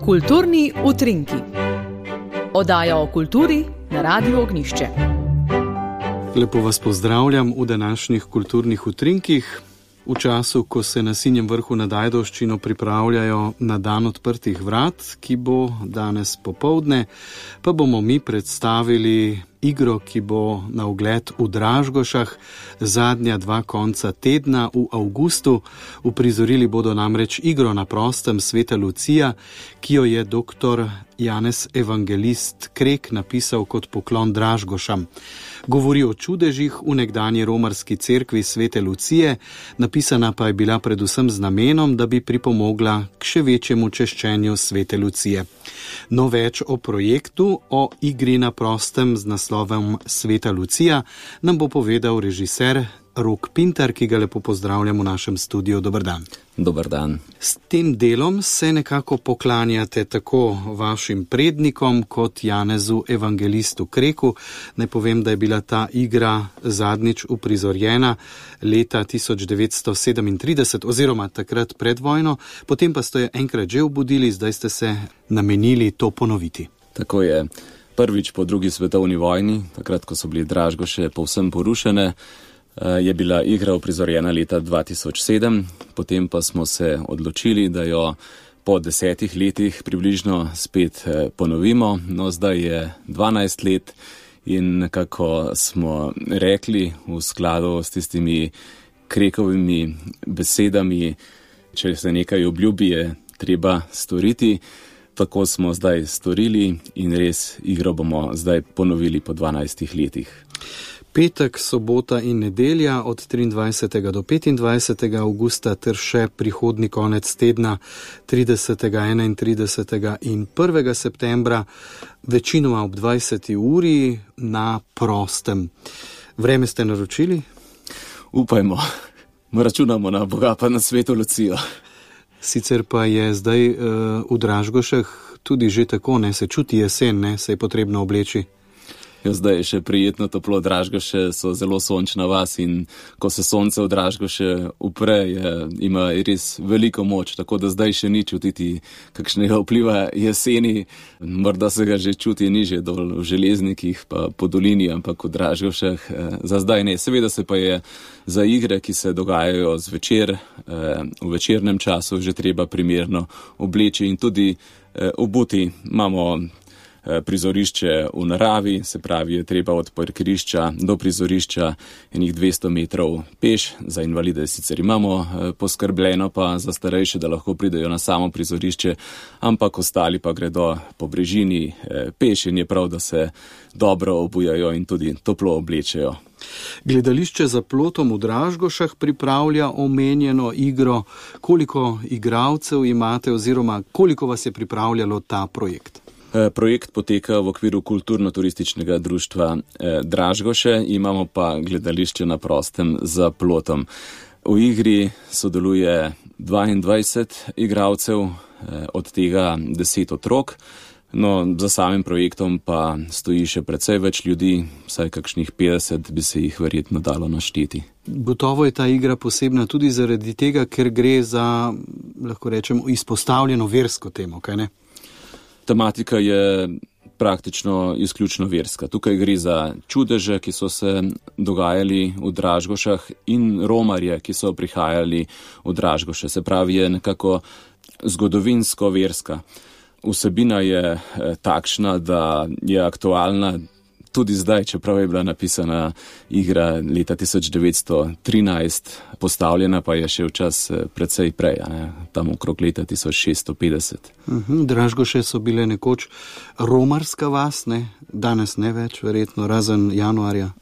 Kulturni utrinki. Oddaja o kulturi na Radiu Ognjišče. Lepo vas pozdravljam v današnjih kulturnih utrinkih. V času, ko se na Sinjem vrhu nad Ajdovščino pripravljajo na dan odprtih vrat, ki bo danes popoldne, pa bomo mi predstavili igro, ki bo na ogled v Dražgošah zadnja 2 konca tedna v avgustu. Uprizorili bodo namreč igro na prostem Sveta Lucija, ki jo je dr. Janez Evangelist Krek napisal kot poklon Dražgošam. Govori o čudežih v nekdanji romarski cerkvi Svete Lucije, napisana pa je bila predvsem z namenom, da bi pripomogla k še večjemu češčenju Svete Lucije. No, več o projektu, o igri na prostem z naslovom Sveta Lucija, nam bo povedal režiser Rok Pintar, ki ga lepo pozdravljam v našem studiu. Dober dan. Dober dan. S tem delom se nekako poklanjate tako vašim prednikom kot Janezu Evangelistu Kreku. Naj povem, da je bila ta igra zadnjič uprizorjena leta 1937 oziroma takrat pred vojno, potem pa ste jo enkrat že obudili, zdaj ste se namenili to ponoviti. Tako je. Prvič po 2. svetovni vojni, takrat, ko so bili Dražgoše povsem porušene, je bila igra uprizorjena leta 2007, potem pa smo se odločili, da jo po 10 letih približno spet ponovimo. No, zdaj je 12 let in nekako smo rekli v skladu s tistimi Krekovimi besedami, če se nekaj obljubi, je treba storiti. Tako smo zdaj storili in res igro bomo zdaj ponovili po 12 letih. Petek, sobota in nedelja od 23. do 25. avgusta ter še prihodnji konec tedna 30., 31. in 1. septembra, večinoma ob 20. uri na prostem. Vreme ste naročili? Upajmo. Računamo na Boga pa na Sveto Lucijo. Sicer pa je zdaj v Dražgošah tudi že tako, ne, se čuti jesen, ne, se je potrebno obleči. Zdaj je še prijetno toplo, Dražgoše so zelo sončna vas in ko se sonce v Dražgoše upre, ima res veliko moč, tako da zdaj še ni čutiti kakšnega vpliva jeseni, morda se ga že čuti nižje dol v Železnikih pa po dolini, ampak v Dražgošah za zdaj ne. Seveda se pa je za igre, ki se dogajajo zvečer, v večernem času že treba primerno obleči in tudi obuti. Imamo prizorišče v naravi, se pravi, je treba od parkirišča do prizorišča enih 200 metrov peš, za invalide sicer imamo poskrbljeno, pa za starejše, da lahko pridejo na samo prizorišče, ampak ostali pa gredo po brežini peš in je prav, da se dobro obujajo in tudi toplo oblečejo. Gledališče Za plotom v Dražgošah pripravlja omenjeno igro. Koliko igralcev imate oziroma koliko vas je pripravljalo ta projekt? Projekt poteka v okviru kulturno-turističnega društva Dražgoše, imamo pa gledališče na prostem Za plotom. V igri sodeluje 22 igralcev, od tega 10 otrok. No, za samim projektom pa stoji še precej več ljudi, vsaj kakšnih 50 bi se jih verjetno dalo našteti. Gotovo je ta igra posebna tudi zaradi tega, ker gre za, lahko rečemo, izpostavljeno versko temo, kaj ne? Tematika je praktično izključno verska. Tukaj gre za čudeže, ki so se dogajali v Dražgošah in romarje, ki so prihajali v Dražgoše. Se pravi, je nekako zgodovinsko verska. Vsebina je takšna, da je aktualna tudi zdaj, čeprav je bila napisana igra leta 1913, postavljena pa je še v čas precej prej, tam okrog leta 1650. Dražgoše so bile nekoč romarska vas, ne? Danes ne več, verjetno, razen januarja.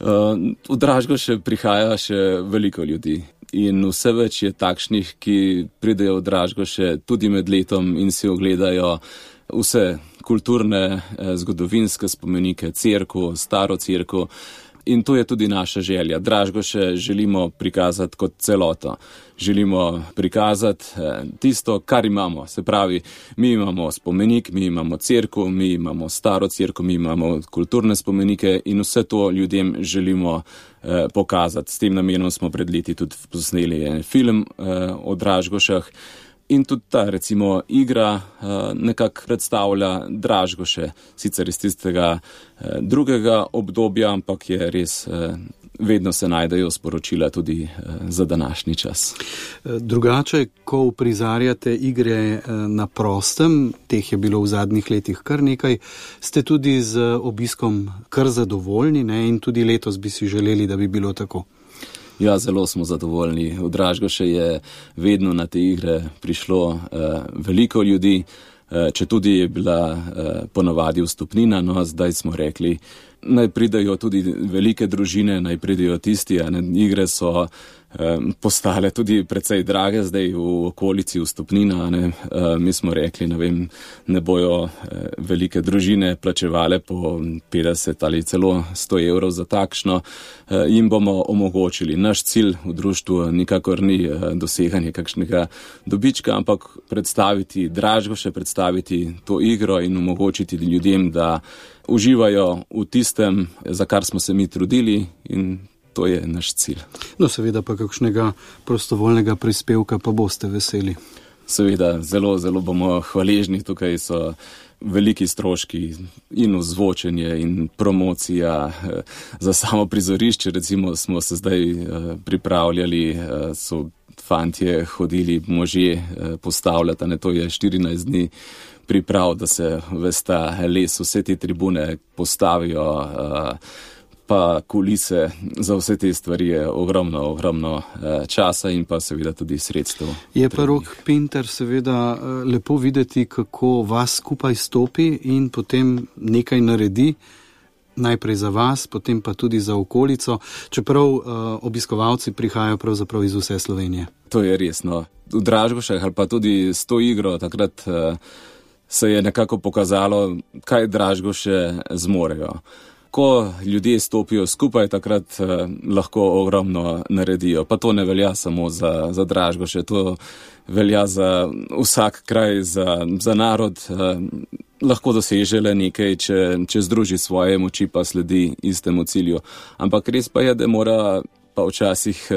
V Dražgoše prihaja še veliko ljudi in vse več je takšnih, ki pridejo v Dražgoše tudi med letom in si ogledajo vse kulturne, zgodovinske spomenike, cerkev, staro cerkev. In to je tudi naša želja. Dražgoše želimo prikazati kot celoto. Želimo prikazati tisto, kar imamo. Se pravi, mi imamo spomenik, mi imamo cerkev, mi imamo staro cerkev, mi imamo kulturne spomenike in vse to ljudem želimo pokazati. S tem namenom smo pred leti tudi posneli en film o Dražgošah. In tudi ta, recimo, igra nekako predstavlja Dražgoše, sicer iz tistega drugega obdobja, ampak je res, vedno se najdejo sporočila tudi za današnji čas. Drugače, ko uprizarjate igre na prostem, teh je bilo v zadnjih letih kar nekaj, ste tudi z obiskom kar zadovoljni, ne? In tudi letos bi si želeli, da bi bilo tako. Ja, zelo smo zadovoljni. V Dražgoše je vedno na te igre prišlo veliko ljudi, če tudi je bila ponavadi vstopnina, no zdaj smo rekli, naj pridejo tudi velike družine, naj pridejo tisti, igre so postale tudi precej drage zdaj v okolici vstopnina, mi smo rekli, ne bojo velike družine plačevale po 50 ali celo 100 evrov za takšno, jim bomo omogočili. Naš cilj v društvu nikakor ni doseganje kakšnega dobička, ampak predstaviti Dražgoše, predstaviti to igro in omogočiti ljudem, da uživajo v tistem, za kar smo se mi trudili, in to je naš cilj. No, seveda pa kakšnega prostovoljnega prispevka pa boste veseli. Seveda, zelo, zelo bomo hvaležni. Tukaj so veliki stroški in ozvočenje in promocija za samo prizorišče. Recimo smo se zdaj pripravljali, so fantje hodili, možje postavljati, to je 14 dni priprav, da se ves ta les, vse te tribune postavijo, pa kulise, za vse te stvari je ogromno časa in pa seveda tudi sredstev. Je pa Rok Pintar seveda lepo videti, kako vas skupaj stopi in potem nekaj naredi, najprej za vas, potem pa tudi za okolico, čeprav obiskovalci prihajajo pravzaprav iz vse Slovenije. To je resno. V Dražgošah ali pa tudi s to igro takrat se je nekako pokazalo, kaj Dražgoše zmorejo. Ko ljudje stopijo skupaj, takrat lahko ogromno naredijo. Pa to ne velja samo za Dražgoše, to velja za vsak kraj, za narod. Lahko doseže le nekaj, če združi svoje moči pa sledi istemu cilju. Ampak res pa je, da mora pa včasih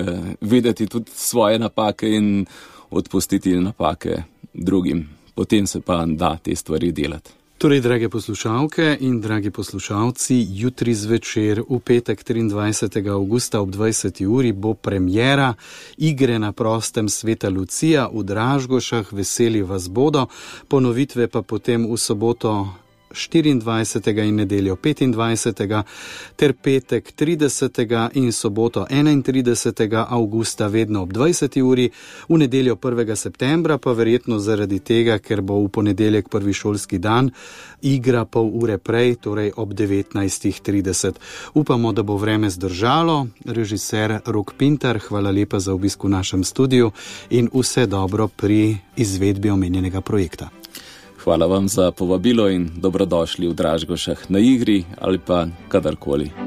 videti tudi svoje napake in odpustiti napake drugim. Potem se pa da te stvari delati. Torej, drage poslušalke in dragi poslušalci, jutri zvečer v petek 23. avgusta ob 20. uri bo premiera igre na prostem Sveta Lucija v Dražgošah. Veseli vas bodo, ponovitve pa potem v soboto 24. in nedeljo 25. ter petek 30. in soboto 31. avgusta vedno ob 20. uri, v nedeljo 1. septembra pa verjetno zaradi tega, ker bo v ponedeljek prvi šolski dan, igra pol ure prej, torej ob 19.30. Upamo, da bo vreme zdržalo. Režiser Rok Pintar, hvala lepa za obisk v našem studiu in vse dobro pri izvedbi omenjenega projekta. Hvala vam za povabilo in dobrodošli v Dražgošah na igri ali pa kadarkoli.